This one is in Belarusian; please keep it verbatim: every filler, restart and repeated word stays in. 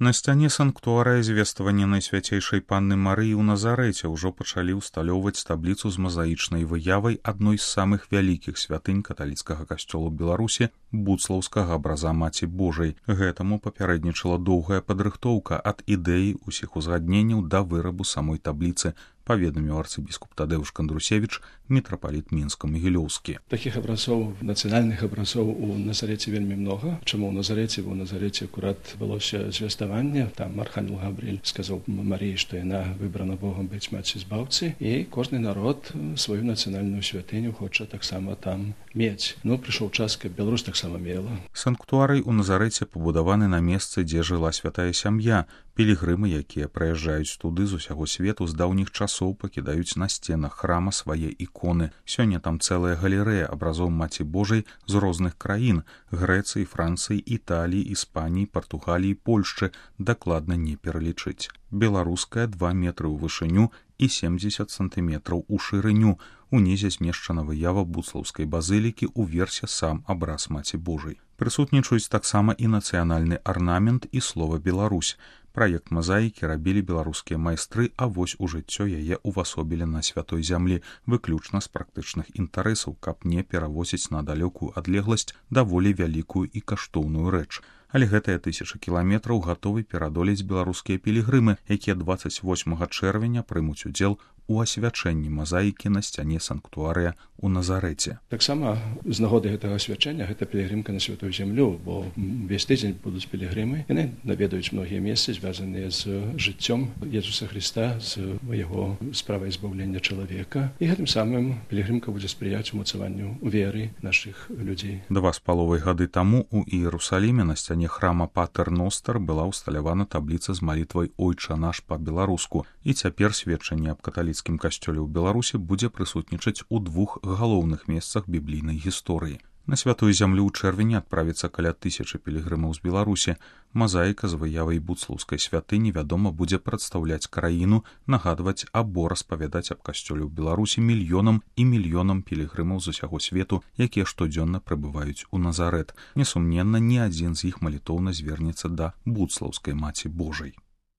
На сцяне санктуарыя звествавання Найсвяцейшай Панны Марыі ў Назарэце ўжо пачалі ўсталёўваць табліцу з мазаічнай выявай адной з самых вялікіх святынь каталіцкага касцёла ў Беларусі буцлаўскага абраза Маці Божай. Гэтаму папярэднічала доўгая падрыхтоўка ад ідэі ўсіх узгадненняў да вырабу самой табліцы, паведаміў арцыбіскуп Тадеуш Кандрусевіч, мітрапаліт Мінска-Магілёўскі. Такіх абразоў, нацыянальных абразоў у Назарэце вельмі много. Чаму ў Назарэце? Бо ў Назарэце акурат адбылося звеставанне. Там архангел Габрыэль сказаў Марыі, што яна выбрана Богом быць маці збаўцы, і кожны народ сваю нацыянальную святыню хоча таксама там мець. Ну, прыйшоў час, каб Беларусь таксама мела. Санктуарый у Назарэце пабудаваны на месцы, дзе жыла святая сям'я. Пілігрымы, якія прыязджаюць туды з усяго свету, з даўніх часоў пакідаюць на сценах храма свае іконы. Сёння там цэлая галерэя абразоў Маці Божай з розных краін – Грэцыі, Францыі, Італіі, Іспаніі, Партугаліі, Польшчы – дакладна не пералічыць. Беларуская два метры ў вышыню і семдзесят сантыметраў у шырыню. Унізе змешчана выява буцлаўскай базылікі, уверсе сам абраз Маці Божай. Прысутнічаюць таксама і нацыянальны арнамент і слова «Беларусь». Праект мазаікі рабілі беларускія майстры, а вось у жыццё яе ўвасобілі на святой зямлі, выключна з практычных інтарэсаў, каб не перавозіць на далёкую адлегласць даволі вялікую і каштоўную рэч. Але гэтыя тысячы кіламетраў гатовы перадолець беларускія пілігрымы, якія дваццаць восьмага чэрвеня прымуць удзел у асвячэнні мазаікі на сцяне санктуарыя ў Назарэце. Таксама з нагоды гэтага асвячэння гэта пілігрымка на святую зямлю, бо весь тыдзень будуць пілігрымы. Яны наведаюць многія месцы, звязаныя з жыццём Езуса Хрыста, з яго справай збаўлення чалавека. І гэтым самым пілігрымка будзе спрыяць умацаванню веры нашых людзей. Два з паловай гады таму ў Іерусаліме на сцяне храма Патер Ностер была ўсталявана табліца з малітвай «Ойча наш» па-беларуску. І цяпер сведчанне аб каталіцкім касцёле ў Беларусі будзе прысутнічаць у двух галоўных месцах біблійнай гісторыі. На святую зямлю ў чэрвені адправіцца каля тысячы пілігрымаў з Беларусі. Мазаіка з выявай буцлаўскай святыні, вядома, будзе прадстаўляць краіну, нагадваць або распавядаць аб касцёле ў Беларусі мільёнам і мільёнам пілігрымаў з усяго свету, якія штодзённа прыбываюць у Назарэт. Несумненна, ні адзін з іх малітоўна звернецца да буцлаўскай Маці Божай.